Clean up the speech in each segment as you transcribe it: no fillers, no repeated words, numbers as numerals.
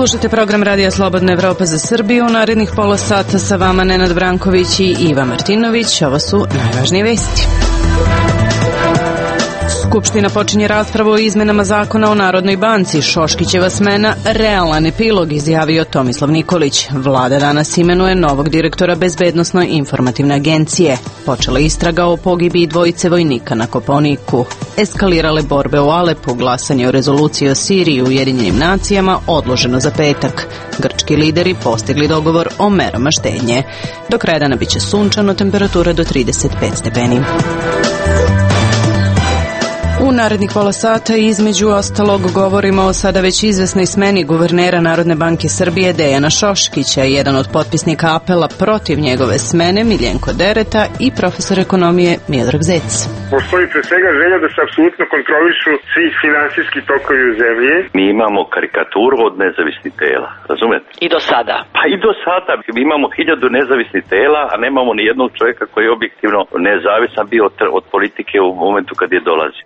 Slušajte program Radija Slobodna Evropa za Srbiju. U narednih pola sata sa vama Nenad Branković i Iva Martinović. Ovo su najvažnije vesti. Skupština počinje raspravu o izmenama zakona o Narodnoj banci. Šoškićeva smena realan epilog, izjavio Tomislav Nikolić. Vlada danas imenuje novog direktora Bezbednosno-informativne agencije. Počela istraga o pogibiji dvojice vojnika na Kopaoniku. Eskalirale borbe u Alepu, glasanje o rezoluciji o Siriji i Ujedinjenim nacijama odloženo za petak. Grčki lideri postigli dogovor o merama štednje. Do kraja dana biće sunčano, temperatura do 35 stepeni. U narednih pola sata između ostalog govorimo o sada već izvesnoj smeni guvernera Narodne banke Srbije Dejana Šoškića, jedan od potpisnika apela protiv njegove smene Miljenko Dereta i profesor ekonomije Miodrag Zec. Postoji pre svega želja da se apsolutno kontrolišu svi finansijski tokovi u zemlji. Mi imamo karikaturu od nezavisnih tela, razumete? I do sada. Pa i do sada. Mi imamo 1000 nezavisnih tela, a nemamo ni jednog čovjeka koji je objektivno nezavisan bio od politike u momentu kad je dolazi.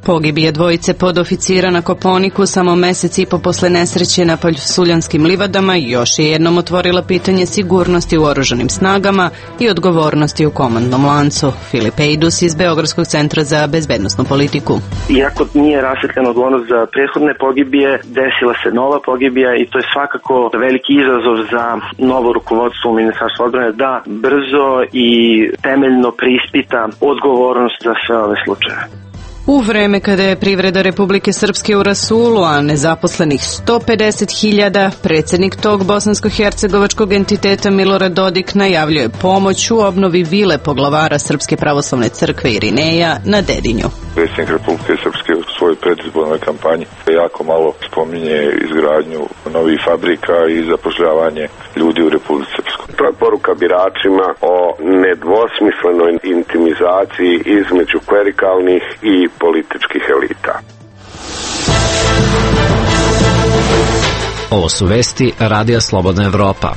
Pogibije dvojice podoficira na Kopaoniku samo mesec i po posle nesreće na Paljsuljanskim livadama još je jednom otvorila pitanje sigurnosti u oružanim snagama i odgovornosti u komandnom lancu. Filip Ejdus iz Beogradskog centra za bezbednosnu politiku. Iako nije rasvetljena odgovornost za prethodne pogibije, desila se nova pogibija i to je svakako veliki izazov za novo rukovodstvo u Ministarstvu odbrane da brzo i temeljno preispita odgovornost za sve ove slučaje. U vreme kada je privreda Republike Srpske u rasulu, a nezaposlenih 150.000, predsjednik tog bosansko-hercegovačkog entiteta Milorad Dodik najavljuje pomoć u obnovi vile poglavara Srpske pravoslavne crkve Irineja na Dedinju. Predsjednik Republike Srpske u svojoj predizbornoj kampanji jako malo spominje izgradnju novih fabrika i zapošljavanje ljudi u Republici Srpskoj. To je poruka biračima o nedvosmislenoj intimizaciji između klerikalnih i političkih elita. Ovo su vesti Radija Slobodna Evropa.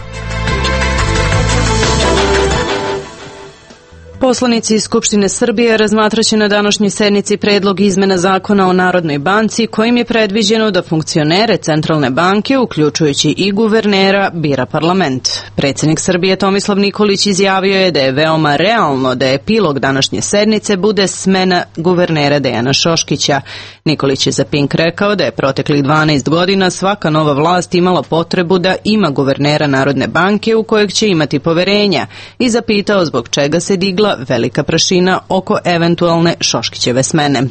Poslanici iz Skupštine Srbije razmatraće na današnjoj sednici predlog izmena zakona o Narodnoj banci kojim je predviđeno da funkcionere Centralne banke, uključujući i guvernera, bira parlament. Predsjednik Srbije Tomislav Nikolić izjavio je da je veoma realno da epilog današnje sednice bude smena guvernera Dejana Šoškića. Nikolić je za Pink rekao da je proteklih 12 godina svaka nova vlast imala potrebu da ima guvernera Narodne banke u kojeg će imati poverenja i zapitao zbog čega se digla velika prašina oko eventualne Šoškićeve smene.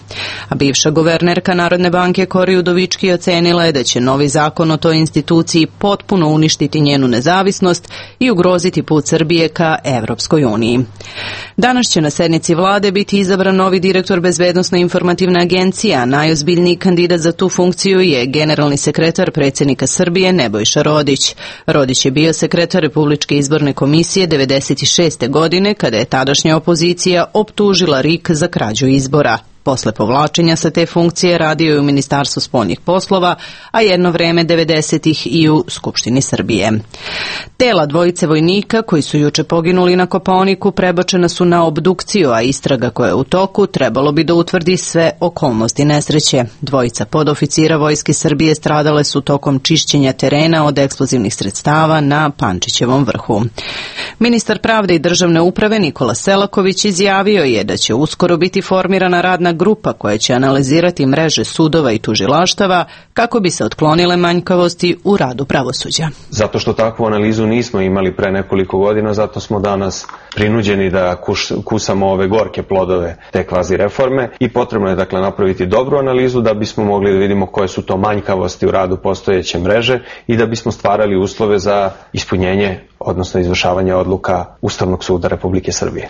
A bivša guvernerka Narodne banke Kori Udovički ocenila je da će novi zakon o toj instituciji potpuno uništiti njenu nezavisnost i ugroziti put Srbije ka Evropskoj uniji. Danas će na sednici vlade biti izabran novi direktor Bezbednosno-informativne agencije, a najozbiljniji kandidat za tu funkciju je generalni sekretar predsjednika Srbije Nebojša Rodić. Rodić je bio sekretar Republičke izborne komisije 1996. godine kada je tadašnja opozicija optužila RIK za krađu izbora. Posle povlačenja sa te funkcije radio je u Ministarstvu spoljnih poslova, a jedno vreme 90-ih i u Skupštini Srbije. Tela dvojice vojnika koji su juče poginuli na Kopaoniku prebačena su na obdukciju, a istraga koja je u toku trebalo bi da utvrdi sve okolnosti nesreće. Dvojica podoficira Vojske Srbije stradale su tokom čišćenja terena od eksplozivnih sredstava na Pančićevom vrhu. Ministar pravde i državne uprave Nikola Selaković izjavio je da će uskoro biti formirana radna grupa koja će analizirati mreže sudova i tužilaštava kako bi se otklonile manjkavosti u radu pravosuđa. Zato što takvu analizu nismo imali pre nekoliko godina, zato smo danas prinuđeni da kusamo ove gorke plodove te kvazi reforme i potrebno je dakle napraviti dobru analizu da bismo mogli da vidimo koje su to manjkavosti u radu postojeće mreže i da bismo stvarali uslove za ispunjenje, odnosno izvršavanje odluka Ustavnog suda Republike Srbije.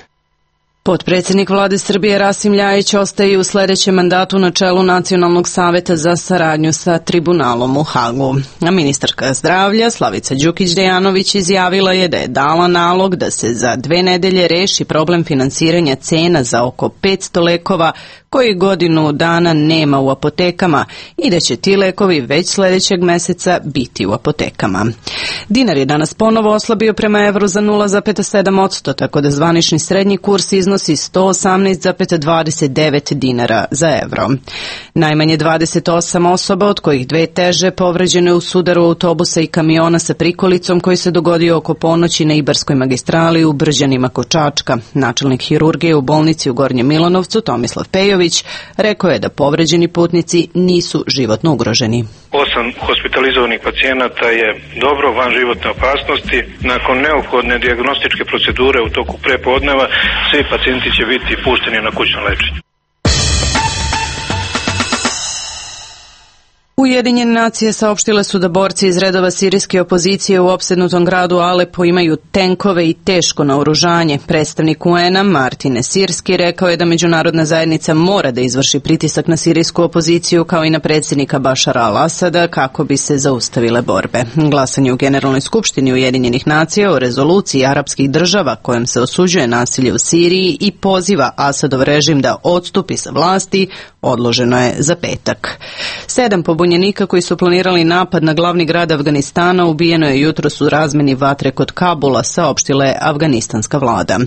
Potpredsjednik vlade Srbije Rasim Ljajić ostaje u sljedećem mandatu na čelu Nacionalnog saveta za saradnju sa tribunalom u Hagu. A ministarka zdravlja Slavica Đukić-Dejanović izjavila je da je dala nalog da se za 2 nedelje reši problem finansiranja cena za oko 500 lekova koji godinu dana nema u apotekama i da će ti lekovi već sljedećeg meseca biti u apotekama. Dinar je danas ponovo oslabio prema evru za 0,7%, tako da zvanični srednji kurs iznosi 118,29 dinara za evro. Najmanje 28 osoba, od kojih 2 teže, povređene u sudaru autobusa i kamiona sa prikolicom koji se dogodio oko ponoći na Ibarskoj magistrali u Brđanima kod Čačka. Načelnik hirurgije u bolnici u Gornjem Milanovcu, Tomislav Pejović, rekao je da povređeni putnici nisu životno ugroženi. 8 hospitalizovanih pacijenata je dobro van životne opasnosti. Nakon neophodne dijagnostičke procedure u toku prepodneva svi pacijenti će biti pušteni na kućno lečenje. Ujedinjene nacije saopštile su da borci iz redova sirijske opozicije u opsednutom gradu Alepo imaju tenkove i teško naoružanje. Predstavnik UN-a Martin Sirski rekao je da međunarodna zajednica mora da izvrši pritisak na sirijsku opoziciju kao i na predsjednika Bašara al-Asada kako bi se zaustavile borbe. Glasanje u Generalnoj skupštini Ujedinjenih nacija o rezoluciji arapskih država kojom se osuđuje nasilje u Siriji i poziva Asadov režim da odstupi sa vlasti odloženo je za petak. 7 pobunjenika koji su planirali napad na glavni grad Afganistana ubijeno je jutros u razmeni vatre kod Kabula, saopštila je afganistanska vlada.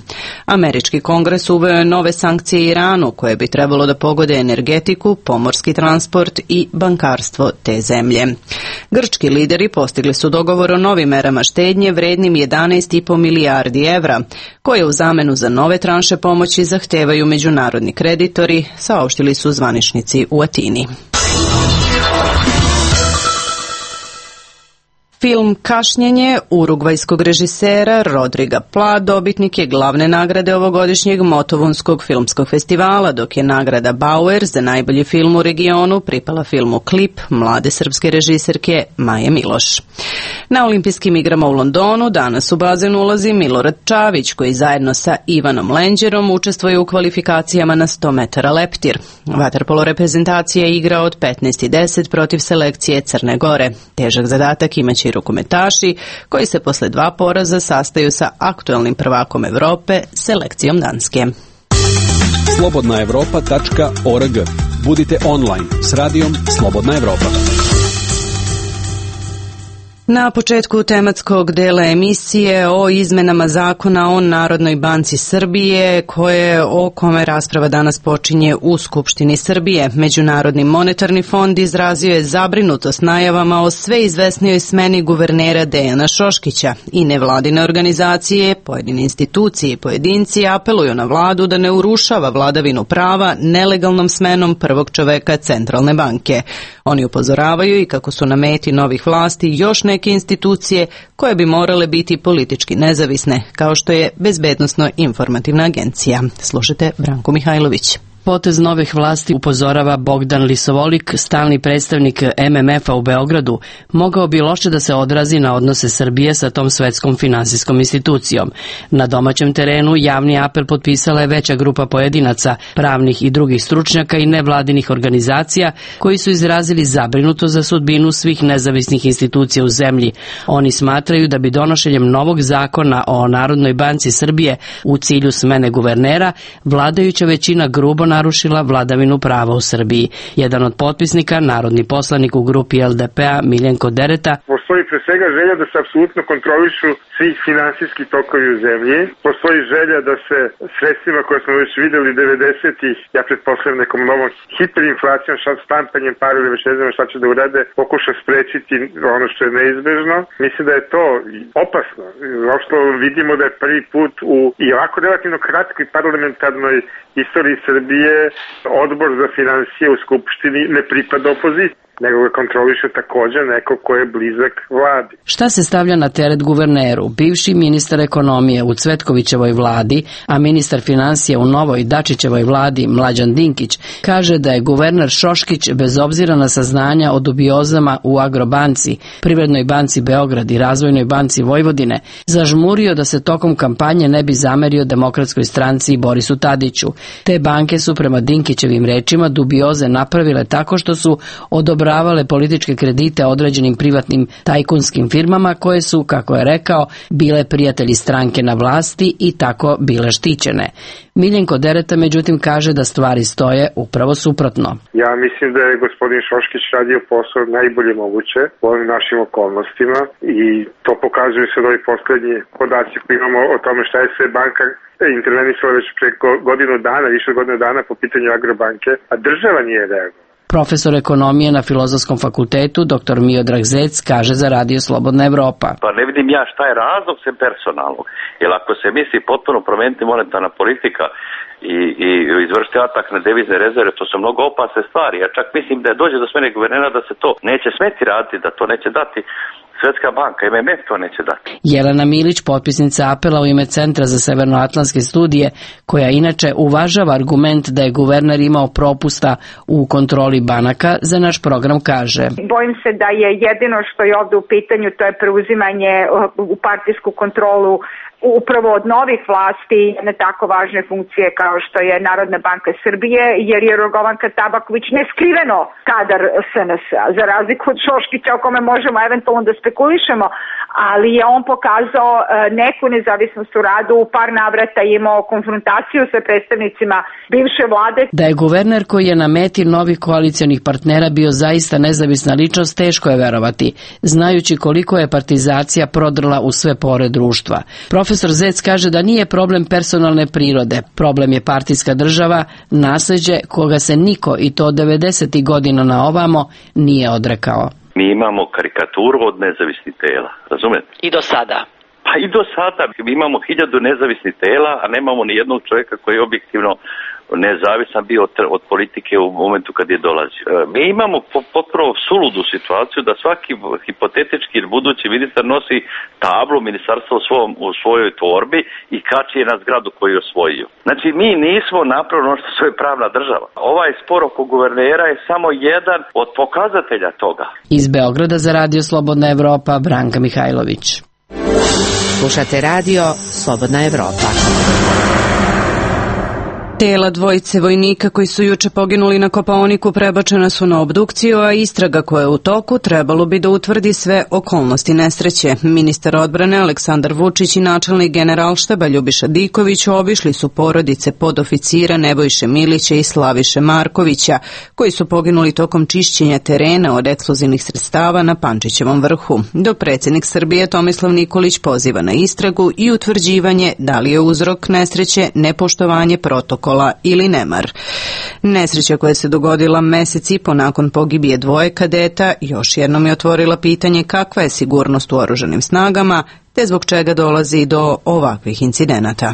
Američki kongres uveo je nove sankcije Iranu koje bi trebalo da pogode energetiku, pomorski transport i bankarstvo te zemlje. Grčki lideri postigli su dogovor o novim merama štednje vrednim 11,5 milijardi evra, koje u zamenu za nove tranše pomoći zahtevaju međunarodni kreditori, saopštili su zvaničnici u Atini. Film Kašnjenje urugvajskog režisera Rodriga Pla dobitnik je glavne nagrade ovogodišnjeg Motovunskog filmskog festivala, dok je nagrada Bauer za najbolji film u regionu pripala filmu Klip mlade srpske režiserke Maje Miloš. Na olimpijskim igrama u Londonu danas u bazen ulazi Milorad Čavić, koji zajedno sa Ivanom Lenđerom učestvuje u kvalifikacijama na 100 metara leptir. Vaterpolo reprezentacija igra od 15:10 protiv selekcije Crne Gore. Težak zadatak imaće i rukometaši, koji se posle 2 poraza sastaju sa aktuelnim prvakom Evrope, selekcijom Danske. Slobodnaevropa.org. Budite online s radijom Slobodna Evropa. Na početku tematskog dela emisije o izmenama zakona o Narodnoj banci Srbije, o kome rasprava danas počinje u Skupštini Srbije. Međunarodni monetarni fond izrazio je zabrinutost najavama o sve izvesnijoj smeni guvernera Dejana Šoškića i nevladine organizacije, pojedine institucije i pojedinci apeluju na vladu da ne urušava vladavinu prava nelegalnom smenom prvog čoveka Centralne banke. Oni upozoravaju i kako su na meti novih vlasti još neke institucije koje bi morale biti politički nezavisne, kao što je Bezbednosno-informativna agencija. Slušajte Branko Mihajlović. Potez novih vlasti, upozorava Bogdan Lisovolik, stalni predstavnik MMF-a u Beogradu, mogao bi loše da se odrazi na odnose Srbije sa tom svetskom finansijskom institucijom. Na domaćem terenu javni apel potpisala je veća grupa pojedinaca, pravnih i drugih stručnjaka i nevladinih organizacija koji su izrazili zabrinuto za sudbinu svih nezavisnih institucija u zemlji. Oni smatraju da bi donošenjem novog zakona o Narodnoj banci Srbije u cilju smene guvernera vladajuća većina grubo narušila vladavinu prava u Srbiji. Jedan od potpisnika, narodni poslanik u grupi LDP-a Miljenko Dereta. Postoji pre svega želja da se apsolutno kontrolišu svi finansijski tokovi u zemlji. Postoji želja da se sredstvima koje smo već videli 90-ih, ja pretpostavljam nekom novom hiperinflacijom, štampanjem para ili već ne znam šta će da urade, pokuša sprečiti ono što je neizbežno. Mislim da je to opasno. Uopšte vidimo da je prvi put u i ovako relativno kratkoj parlamentarnoj istoriji Srbije odbor za finansije u Skupštini ne pripada opoziciji, nego ga kontroliše također neko ko je blizak vladi. Šta se stavlja na teret guverneru? Bivši ministar ekonomije u Cvetkovićevoj vladi, a ministar finansija u novoj Dačićevoj vladi Mlađan Dinkić, kaže da je guverner Šoškić bez obzira na saznanja o dubiozama u Agrobanci, Privrednoj banci Beograd i Razvojnoj banci Vojvodine, zažmurio da se tokom kampanje ne bi zamerio Demokratskoj stranci i Borisu Tadiću. Te banke su prema Dinkićevim rečima dubioze napravile tako što su odobravale odobravale političke kredite određenim privatnim tajkunskim firmama koje su, kako je rekao, bile prijatelji stranke na vlasti i tako bile štićene. Miljenko Dereta međutim kaže da stvari stoje upravo suprotno. Ja mislim da je gospodin Šoškić radio posao najbolje moguće u ovim našim okolnostima i to pokazuju se ovi poslednji podaci koji imamo o tome šta je sve banka intervenisala već preko godinu dana, više od godinu dana po pitanju Agrobanke, a država nije reagovala. Profesor ekonomije na Filozofskom fakultetu, dr. Miodrag Zec, kaže za Radio Slobodna Evropa. Pa ne vidim ja šta je razlog sem personalnog. Jer ako se misli potpuno promeniti monetarna politika i izvršiti atak na devizne rezerve, to su mnogo opasne stvari. Ja čak mislim da dođe do smene guvernera da se to neće smeti raditi, da to neće dati Svetska banka, MMF to neće dati. Jelena Milić, potpisnica apela u ime Centra za severnoatlantske studije, koja inače uvažava argument da je guverner imao propusta u kontroli banaka, za naš program kaže: Bojim se da je jedino što je ovde u pitanju, to je preuzimanje u partijsku kontrolu upravo od novih vlasti na tako važne funkcije kao što je Narodna banka Srbije, jer je Jorgovanka Tabaković neskriveno kadar SNS-a, za razliku od Šoškića o kome možemo eventualno da spekulišemo, ali je on pokazao neku nezavisnost u radu, u par navrata imao konfrontaciju sa predstavnicima bivše vlade. Da je guverner koji je na meti novih koalicionih partnera bio zaista nezavisna ličnost, teško je verovati, znajući koliko je partizacija prodrla u sve pore društva. Profesor Zec kaže da nije problem personalne prirode, problem je partijska država, nasleđe koga se niko, i to 90. godina na ovamo, nije odrekao. Mi imamo karikaturu od nezavisnih tela, razumete? I do sada. Pa i do sada. Mi imamo 1000 nezavisnih tela, a nemamo ni jednog čovjeka koji je objektivno nezavisan bio od politike u momentu kad je dolazio. Mi imamo potpuno suludu situaciju da svaki hipotetički budući ministar nosi tablu ministarstva u svojoj torbi i kači je na zgradu koju je osvojio. Znači mi nismo napravili ono što je pravna država. Ovaj spor oko guvernera je samo jedan od pokazatelja toga. Iz Beograda za Radio Slobodna Evropa, Branka Mihajlović. Slušate Radio Slobodna Evropa. Tela dvojice vojnika koji su juče poginuli na Kopaoniku prebačena su na obdukciju, a istraga koja je u toku trebalo bi da utvrdi sve okolnosti nesreće. Ministar odbrane Aleksandar Vučić i načelnik Generalštaba Ljubiša Diković obišli su porodice podoficira Nebojše Milića i Slaviše Markovića, koji su poginuli tokom čišćenja terena od eksplozivnih sredstava na Pančićevom vrhu, dok predsjednik Srbije Tomislav Nikolić poziva na istragu i utvrđivanje da li je uzrok nesreće nepoštovanje protokola ili nemar. Nesreća koja se dogodila mesec i po nakon pogibije dvoje kadeta još jednom je otvorila pitanje kakva je sigurnost u oružanim snagama, te zbog čega dolazi do ovakvih incidenata.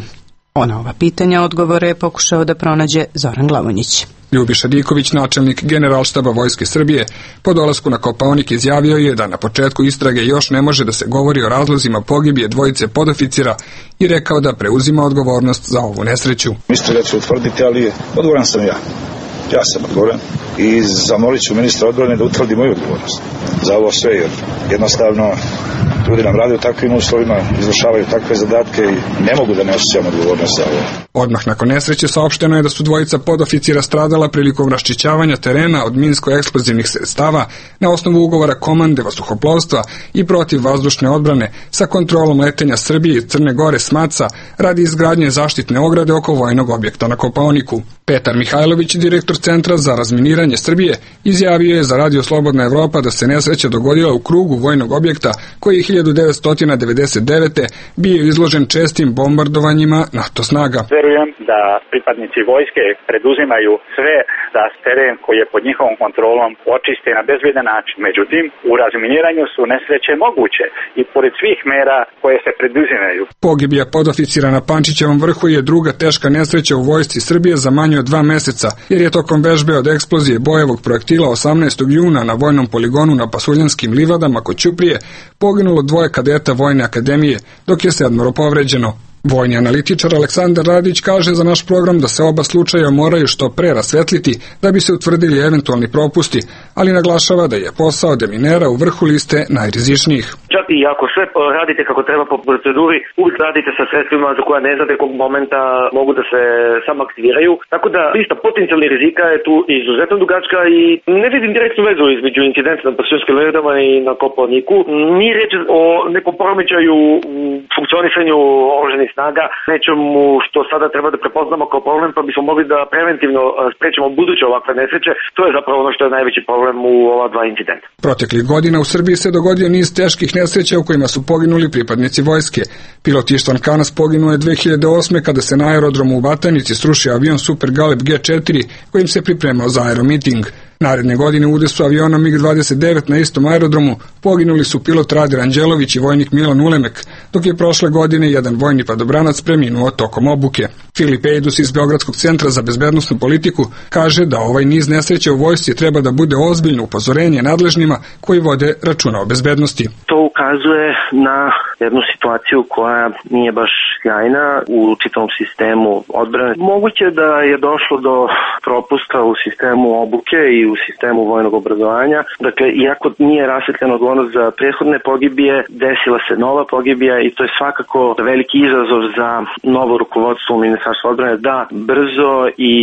Na ova pitanja odgovore je pokušao da pronađe Zoran Glavonjić. Ljubiša Diković, načelnik Generalštaba Vojske Srbije, po dolasku na Kopaonik izjavio je da na početku istrage još ne može da se govori o razlozima pogibije dvojice podoficira i rekao da preuzima odgovornost za ovu nesreću. Istraga će utvrditi, ali odgovoran sam ja. Ja sam odgovoran i zamolit ću ministra odbrane da utvrdi moju odgovornost za ovo sve, jer jednostavno ljudi nam rade u takvim uslovima, izvršavaju takve zadatke i ne mogu da ne osjećam odgovornost za ovo. Odmah nakon nesreće saopšteno je da su dvojica podoficira stradala prilikom raščišćavanja terena od minsko-eksplozivnih sredstava na osnovu ugovora komande vazduhoplovstva i protivvazdušne odbrane sa kontrolom letenja Srbije i Crne Gore SMATSA radi izgradnje zaštitne ograde oko vojnog objekta na Kopaoniku. Petar Mihajlović, direktor Centra za razminiranje Srbije, izjavio je za Radio Slobodna Evropa da se nesreća dogodila u krugu vojnog objekta koji je 1999. bio izložen čestim bombardovanjima NATO snaga. Verujem da pripadnici vojske preduzimaju sve da teren koji je pod njihovom kontrolom očiste na bezbedan način. Međutim, u razminiranju su nesreće moguće i pored svih mera koje se preduzimaju. Pogibija podoficira na Pančićevom vrhu je druga teška nesreća u vojsci Srbije za manje od 2 meseca, jer je tokom vežbe od eksplozije bojevog projektila 18. juna na vojnom poligonu na Pasuljanskim livadama kod Ćuprije poginulo 2 kadeta Vojne akademije, dok je 7 povređeno. Vojni analitičar Aleksandar Radić kaže za naš program da se oba slučaja moraju što pre rasvetliti da bi se utvrdili eventualni propusti, ali naglašava da je posao deminera u vrhu liste najrizičnijih. Čak i ako sve radite kako treba po proceduri, uvijek radite sa sredstvima za koja ne znate kog momenta mogu da se samo aktiviraju. Tako da lista potencijalnih rizika je tu izuzetno dugačka i ne vidim direktnu vezu između incidenta na Paščanskim ledama i na Kopaoniku. Nije reč o nekom poremećaju u funkcionisanju oružanih snaga, nečemu što sada treba da prepoznamo kao problem, pa bismo mogli da preventivno sprečimo buduće ovakve nesreće. To je zapravo ono što je najveći problem u ova dva incidenta. Proteklih godina u Srbiji se dogodio niz teških nesreća u kojima su poginuli pripadnici vojske. Pilot Ištvan Kanas poginuo je 2008. kada se na aerodromu u Batajnici srušio avion Super Galeb G4 kojim se pripremao za aeromiting. Naredne godine u udesu aviona MiG-29 na istom aerodromu poginuli su pilot Rade Ranđelović i vojnik Milan Ulemek, dok je prošle godine jedan vojni padobranac preminuo tokom obuke. Filip Ejdus iz Beogradskog centra za bezbednosnu politiku kaže da ovaj niz nesreća u vojsci treba da bude ozbiljno upozorenje nadležnima koji vode računa o bezbednosti. To ukazuje na jednu situaciju koja nije baš sjajna u čitavom sistemu odbrane. Moguće da je došlo do propusta u sistemu obuke i u sistemu vojnog obrazovanja. Dakle, iako nije rasvetljena odgovornost za prethodne pogibije, desila se nova pogibija i to je svakako veliki izazov za novo rukovodstvo u Ministarstvu odbrane da brzo i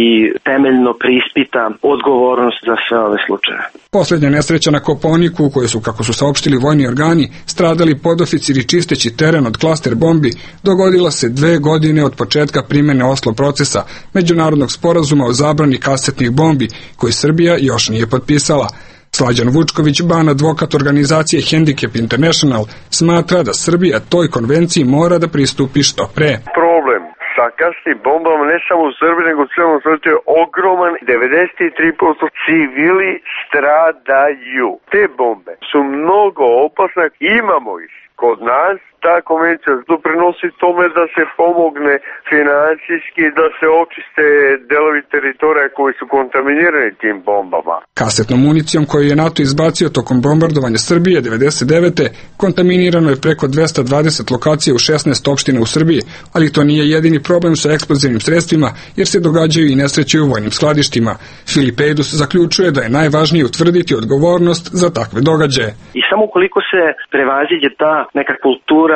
temeljno preispita odgovornost za sve ove slučaje. Poslednja nesreća na Kopaoniku, u kojoj su, kako su saopštili vojni organi, stradali podoficiri čisteći teren od klaster bombi, dogodila se 2 godine od početka primene Oslo procesa, međunarodnog sporazuma o zabrani kasetnih bombi, koji Srbija još nije potpisala. Slađan Vučković, ban advokat organizacije Handicap International, smatra da Srbija toj konvenciji mora da pristupi što pre. Problem sa kasnim bombama ne samo u Srbiji, nego u celom svetu je ogroman. 93% civili stradaju. Te bombe su mnogo opasne, imamo ih kod nas. Ta konvencija doprinosi tome da se pomogne finansijski, da se očiste delovi teritorija koji su kontaminirani tim bombama. Kasetnom municijom koju je NATO izbacio tokom bombardovanja Srbije 1999. kontaminirano je preko 220 lokacija u 16 opština u Srbiji, ali to nije jedini problem sa eksplozivnim sredstvima, jer se događaju i nesreće u vojnim skladištima. Filip Ejdus zaključuje da je najvažnije utvrditi odgovornost za takve događaje. I samo ukoliko se prevaziđe ta neka kultura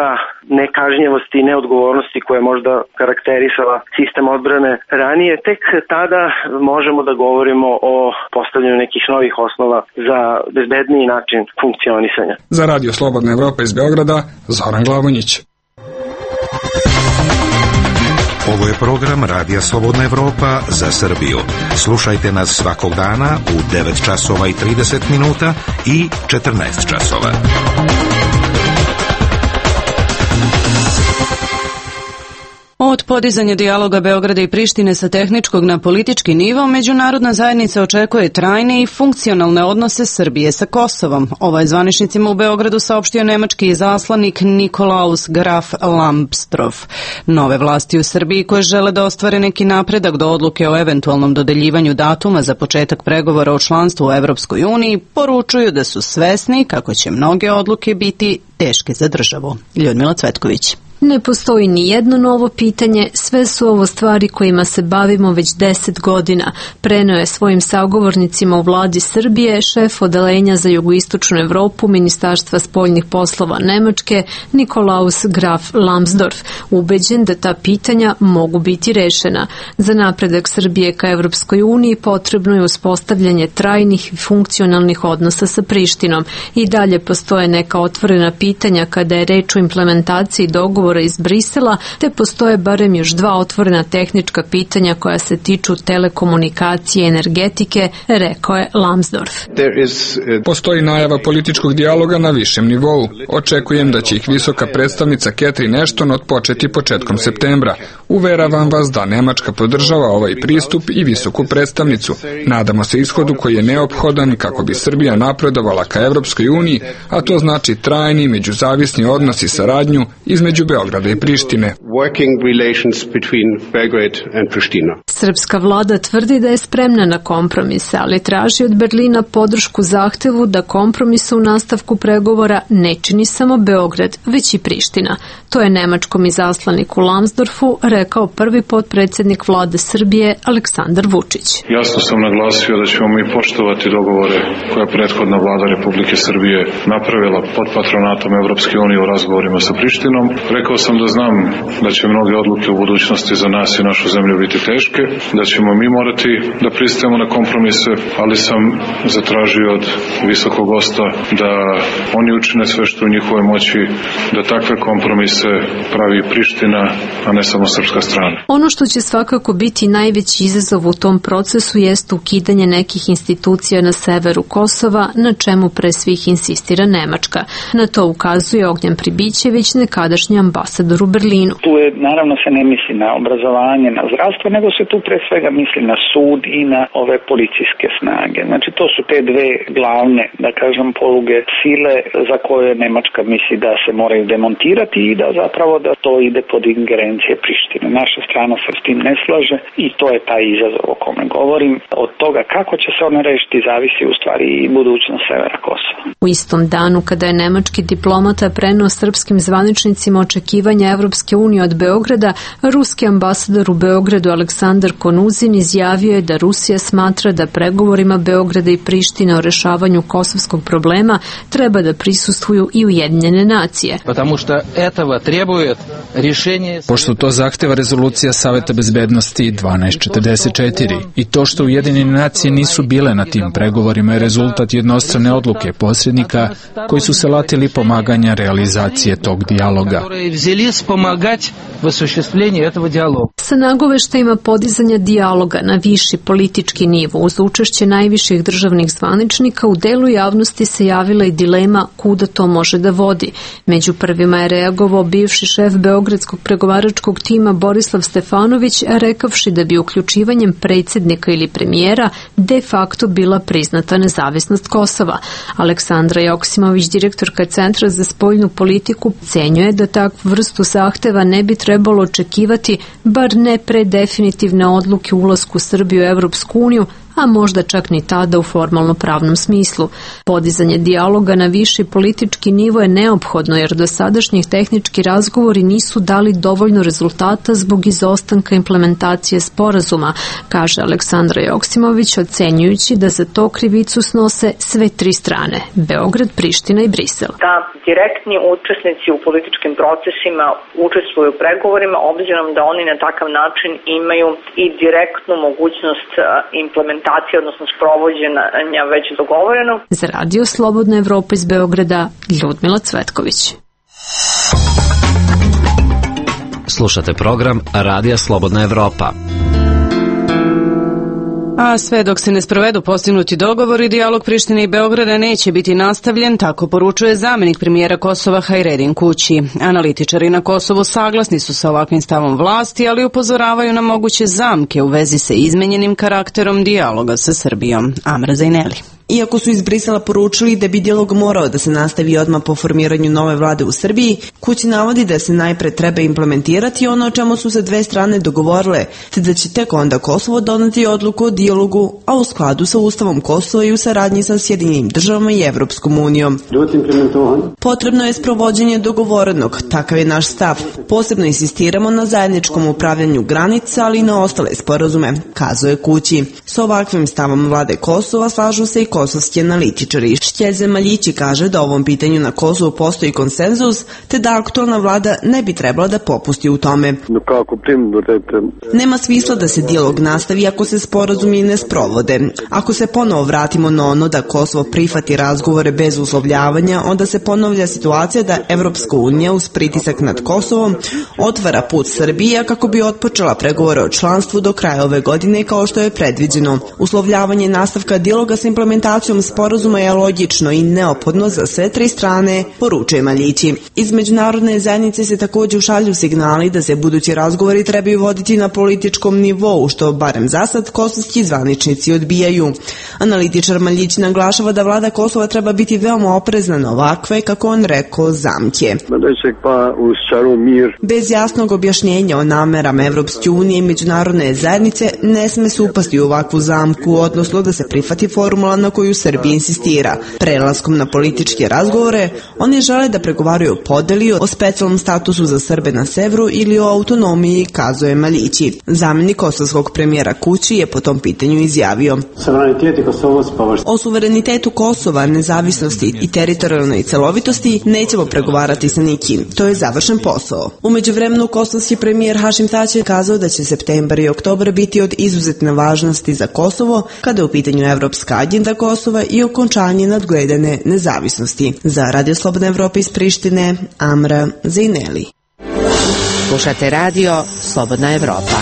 nekažnjevosti i neodgovornosti koja je možda karakterisala sistem odbrane ranije, tek tada možemo da govorimo o postavljanju nekih novih osnova za bezbedniji način funkcionisanja. Za Radio Slobodna Evropa iz Beograda, Zoran Glavonjić. Ovo je program Radija Slobodna Evropa za Srbiju. Slušajte nas svakog dana u 9 časova i 30 minuta i 14 časova. Od podizanja dijaloga Beograda i Prištine sa tehničkog na politički nivo, međunarodna zajednica očekuje trajne i funkcionalne odnose Srbije sa Kosovom. Ovo je zvaničnicima u Beogradu saopštio nemački izaslanik Nikolaus Graf Lambsdorff. Nove vlasti u Srbiji koje žele da ostvare neki napredak do odluke o eventualnom dodeljivanju datuma za početak pregovora o članstvu u Evropskoj uniji poručuju da su svesni kako će mnoge odluke biti teške za državu. Ljudmila Cvetković. Ne postoji ni jedno novo pitanje, sve su ovo stvari kojima se bavimo već 10 godina, preneo je svojim sagovornicima u vladi Srbije šef odeljenja za jugoistočnu Evropu Ministarstva spoljnih poslova Nemačke Nikolaus Graf Lambsdorff, ubeđen da ta pitanja mogu biti rešena. Za napredak Srbije ka Evropskoj uniji potrebno je uspostavljanje trajnih i funkcionalnih odnosa sa Prištinom. I dalje postoje neka otvorena pitanja kada je reč o implementaciji dogovora iz Brisela, te postoje barem još 2 otvorena tehnička pitanja koja se tiču telekomunikacije i energetike, rekao je Lambsdorff. Postoji najava političkog dijaloga na višem nivou. Očekujem da će ih visoka predstavnica Catherine Ashton otpočeti početkom septembra. Uveravam vas da Nemačka podržava ovaj pristup i visoku predstavnicu. Nadamo se ishodu koji je neophodan kako bi Srbija napredovala ka Evropskoj uniji, a to znači trajni međuzavisni odnos i saradnju između Beograda i Prištine. working relations between Belgrade and Pristina. Srpska vlada tvrdi da je spremna na kompromise, ali traži od Berlina podršku zahtevu da kompromise u nastavku pregovora ne čini samo Beograd, već i Priština. To je nemačkom izaslaniku Lambsdorfu rekao prvi potpredsjednik vlade Srbije Aleksandar Vučić. Jasno sam naglasio da ćemo mi poštovati dogovore koje je prethodna vlada Republike Srbije napravila pod patronatom Evropske unije u razgovorima sa Prištinom. Rekao sam da znam da će mnoge odluke u budućnosti za nas i našu zemlju biti teške, da ćemo mi morati da pristajemo na kompromise, ali sam zatražio od visokog gosta da oni učine sve što u njihovoj moći da takve kompromise pravi Priština, a ne samo srpska strana. Ono što će svakako biti najveći izazov u tom procesu jest ukidanje nekih institucija na severu Kosova, na čemu pre svih insistira Nemačka. Na to ukazuje Ognjen Pribićević, nekadašnji ambasador u Berlinu. Tu je, naravno, se ne misli na obrazovanje, na zdravstvo, nego se tu pre svega misli na sud i na ove policijske snage. Znači, to su te dve glavne, da kažem, poluge sile za koje Nemačka misli da se moraju demontirati i da zapravo da to ide pod ingerencije Prištine. Naša strana se s tim ne slaže i to je taj izazov o kome govorim. Od toga kako će se ona rešiti zavisi u stvari i budućnost severa Kosova. U istom danu kada je nemački diplomata preneo srpskim zvaničnicima očekivanja Evropske unije od Beograda, ruski ambasador u Beogradu Aleksandar Konuzin izjavio je da Rusija smatra da pregovorima Beograda i Prištine o rešavanju kosovskog problema treba da prisustvuju i Ujedinjene nacije. Pošto to zahteva rezolucija Saveta bezbednosti 1244 i to što Ujedinjene nacije nisu bile na tim pregovorima je rezultat jednostrane odluke posrednika koji su se latili pomaganja realizacije tog dijaloga. Sa nagoveštajima podizanja dijaloga na viši politički nivo uz učešće najviših državnih zvaničnika u delu javnosti se javila i dilema kuda to može da vodi. Među prvima je reagovao bivši šef beogradskog pregovaračkog tima Borislav Stefanović, rekavši da bi uključivanjem predsjednika ili premijera de facto bila priznata nezavisnost Kosova. Aleksandra Joksimović, direktorka Centra za spoljnu politiku, cenjuje da takvu vrstu zahteva ne bi trebalo očekivati, bar ne pre definitivne odluke o ulasku Srbije u Evropsku uniju, a možda čak ni tada u formalno pravnom smislu. Podizanje dijaloga na viši politički nivo je neophodno jer dosadašnjih tehnički razgovori nisu dali dovoljno rezultata zbog izostanka implementacije sporazuma, kaže Aleksandra Joksimović, ocenjujući da za to krivicu snose sve tri strane, Beograd, Priština i Brisel. Da direktni učesnici u političkim procesima učestvuju u pregovorima, obzirom da oni na takav način imaju i direktnu mogućnost implementacije, odnosno sprovođenja već dogovoreno. Za Radio Slobodna Evropa iz Beograda, Ljudmila Cvetković. Slušate program Radija Slobodna Evropa. A sve dok se ne sprovedu postignuti dogovori, dijalog Prištine i Beograda neće biti nastavljen, tako poručuje zamjenik premijera Kosova Hajredin Kući. Analitičari na Kosovu saglasni su sa ovakvim stavom vlasti, ali upozoravaju na moguće zamke u vezi sa izmenjenim karakterom dijaloga sa Srbijom. Amra Zajneli. Iako su iz Brisela poručili da bi dijalog morao da se nastavi odmah po formiranju nove vlade u Srbiji, Kući navodi da se najpre treba implementirati ono o čemu su se dve strane dogovorile, te da će tek onda Kosovo doneti odluku o dijalogu, a u skladu sa Ustavom Kosova i u saradnji sa Sjedinjenim državama i Evropskom unijom. Potrebno je sprovođenje dogovorenog, takav je naš stav. Posebno insistiramo na zajedničkom upravljanju granica, ali i na ostale sporazume, kazuje Kući. Sa ovakvim stavom vlade Kosova slažu se i kosovski analitičari. Štjeze Maljići kaže da ovom pitanju na Kosovu postoji konsenzus, te da aktualna vlada ne bi trebala da popusti u tome. Nema smisla da se dijalog nastavi ako se sporazumi ne sprovode. Ako se ponovo vratimo na ono da Kosovo prihvati razgovore bez uslovljavanja, onda se ponovlja situacija da Evropska unija uz pritisak nad Kosovom otvara put Srbije kako bi otpočela pregovore o članstvu do kraja ove godine kao što je predviđeno. Uslovljavanje nastavka dijaloga sa implementacijom implementacijom sporazuma je logično i neophodno za sve tri strane, poručuje Maljići. Iz međunarodne zajednice se također ušalju signali da se budući razgovori trebaju voditi na političkom nivou, što barem zasad kosovski zvaničnici odbijaju. Analitičar Maljić naglašava da vlada Kosova treba biti veoma oprezna na ovakve, kako on rekao, zamke. Bez jasnog objašnjenja o namerama Evropske unije i međunarodne zajednice ne sme se upasti u ovakvu zamku, odnosno da se prihvati formula na koju Srbija insistira. Prelaskom na političke razgovore, oni žele da pregovaraju o podeli, o specijalnom statusu za Srbe na severu ili o autonomiji, kazuje Maljići. Zamjenik kosovskog premijera Kući je po tom pitanju izjavio: o suverenitetu Kosova, nezavisnosti i teritorijalnoj celovitosti nećemo pregovarati sa nikim. To je završen posao. U međuvremenu kosovski premijer Hašim Tači je kazao da će septembar i oktobar biti od izuzetne važnosti za Kosovo kada je u pitanju evropska agenda Kosova i okončanje nadgledane nezavisnosti. Za Radio Slobodna Evropa iz Prištine, Amra Zejneli. Slušate radio Slobodna Evropa.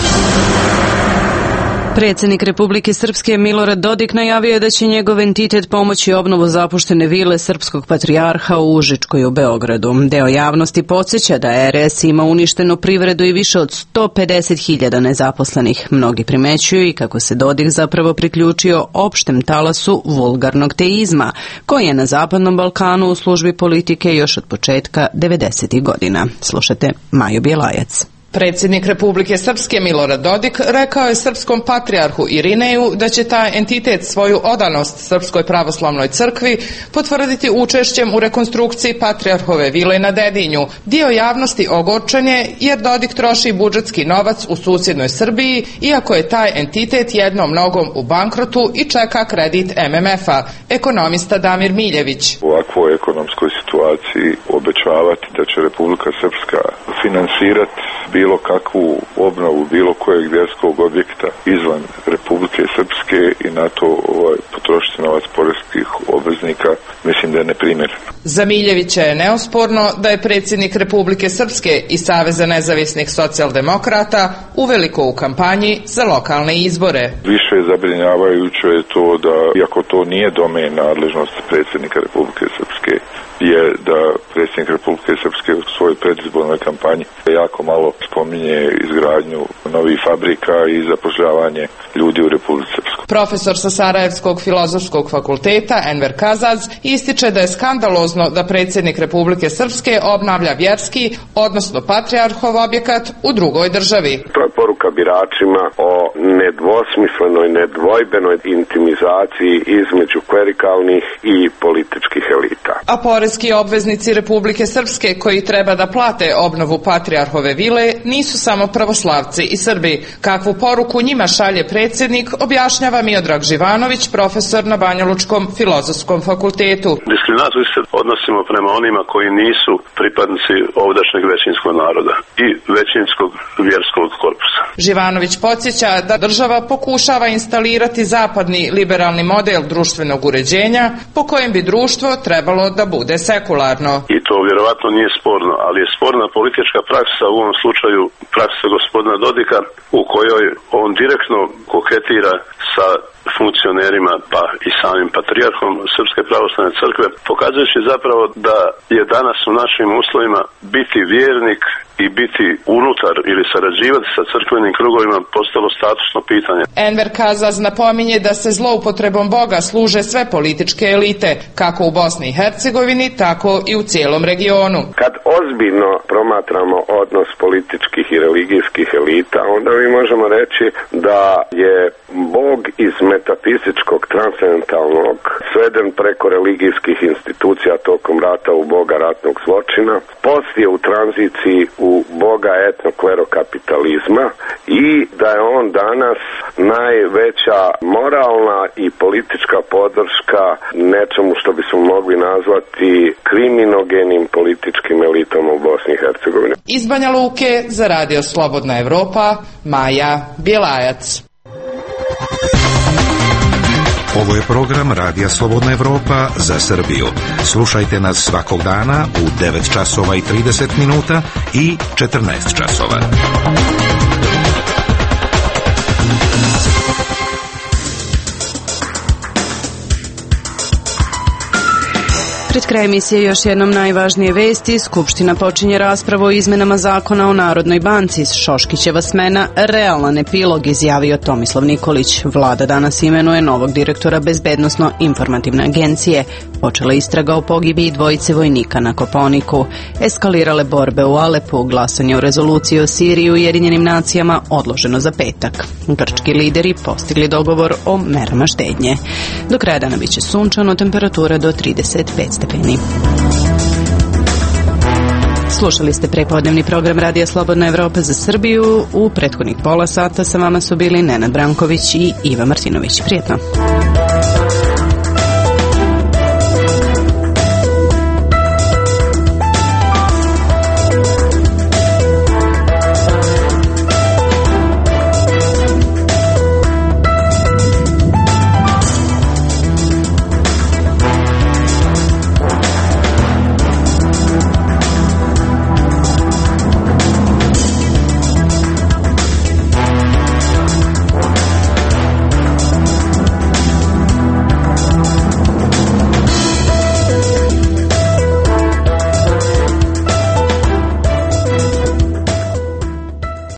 Predsjednik Republike Srpske Milorad Dodik najavio je da će njegov entitet pomoći obnovu zapuštene vile srpskog patrijarha u Užičkoj u Beogradu. Deo javnosti podsjeća da RS ima uništenu privredu i više od 150.000 nezaposlenih. Mnogi primećuju i kako se Dodik zapravo priključio opštem talasu vulgarnog teizma, koji je na Zapadnom Balkanu u službi politike još od početka 90. godina. Slušate Maju Bjelajac. Predsjednik Republike Srpske Milorad Dodik rekao je srpskom patrijarhu Irineju da će taj entitet svoju odanost Srpskoj pravoslavnoj crkvi potvrditi učešćem u rekonstrukciji patrijarhove vile na Dedinju. Dio javnosti ogorčen je jer Dodik troši budžetski novac u susjednoj Srbiji, iako je taj entitet jednom nogom u bankrotu i čeka kredit MMF-a. Ekonomista Damir Miljević. U ovakvoj ekonomskoj situaciji obećavati da će Republika Srpska finansirati bilo kakvu obnovu bilo kojeg vjerskog objekta izvan Republike Srpske i na to potrošiti novac poreskih obveznika, mislim da je neprimjereno. Za Miljevića je neosporno da je predsjednik Republike Srpske i Saveza nezavisnih socijaldemokrata uveliko u kampanji za lokalne izbore. Više zabrinjavajuće je to da, iako to nije domen nadležnosti predsjednika Republike Srpske, je da predsjednik Republike Srpske u svojoj predizbornoj kampanji jako malo spominje izgradnju novih fabrika i zapošljavanje ljudi u Republici Srpskoj. Profesor sa Sarajevskog filozofskog fakulteta Enver Kazaz ističe da je skandalozno da predsjednik Republike Srpske obnavlja vjerski, odnosno patrijarhov objekat u drugoj državi. To je poruka biračima o nedvosmislenoj, nedvojbenoj intimizaciji između klerikalnih i političkih elita. A poreski obveznici Republike Srpske koji treba da plate obnovu patrijarhove vile nisu samo pravoslavci i Srbi. Kakvu poruku njima šalje predsjednik, objašnjava Miodrag Živanović, profesor na Banjalučkom filozofskom fakultetu. Diskriminatorski se odnosimo prema onima koji nisu pripadnici ovdašnjeg većinskog naroda i većinskog vjerskog korpusa. Živanović podsjeća da država pokušava instalirati zapadni liberalni model društvenog uređenja po kojem bi društvo trebalo da bude sekularno. I to vjerovatno nije sporno, ali je sporna politička praksa, u ovom slučaju praksa gospodina Dodika, u kojoj on direktno koketira sa funkcionerima pa i samim patrijarhom Srpske pravoslavne crkve, pokazujući zapravo da je danas u našim uslovima biti vjernik i biti unutar ili sarađivati sa crkvenim krugovima postalo statusno pitanje. Enver Kazaz napominje da se zloupotrebom Boga služe sve političke elite, kako u Bosni i Hercegovini, tako i u cijelom regionu. Kad ozbiljno promatramo odnos političkih i religijskih elita, onda mi možemo reći da je Bog iz metafizičkog, transcendentalnog sveden preko religijskih institucija tokom rata u Boga ratnog zločina, poslije u tranziciji u Boga etnoklerokapitalizma i da je on danas najveća moralna i politička podrška nečemu što bismo mogli nazvati kriminogenim političkim elitama u Bosni i Hercegovini. Iz Banja Luke za Radio Slobodna Evropa, Maja Bjelajac. Ovo je program Radija Slobodna Evropa za Srbiju. Slušajte nas svakog dana u 9 časova i 30 minuta i 14 časova. Pred kraj emisije još jednom najvažnije vesti. Skupština počinje raspravu o izmenama zakona o Narodnoj banci. Šoškićeva smena realan epilog, izjavio Tomislav Nikolić. Vlada danas imenuje novog direktora Bezbednosno-informativne agencije. Počela istraga o pogibiji dvojice vojnika na Kopaoniku. Eskalirale borbe u Alepu. Glasanje o rezoluciji o Siriji u Ujedinjenim nacijama odloženo za petak. Grčki lideri postigli dogovor o merama štednje. Do kraja dana biće sunčano, temperatura do 35 stepeni. Slušali ste prepodnevni program Radija Slobodna Evropa za Srbiju. U prethodnih pola sata sa vama su bili Nenad Branković i Iva Martinović. Prijetno.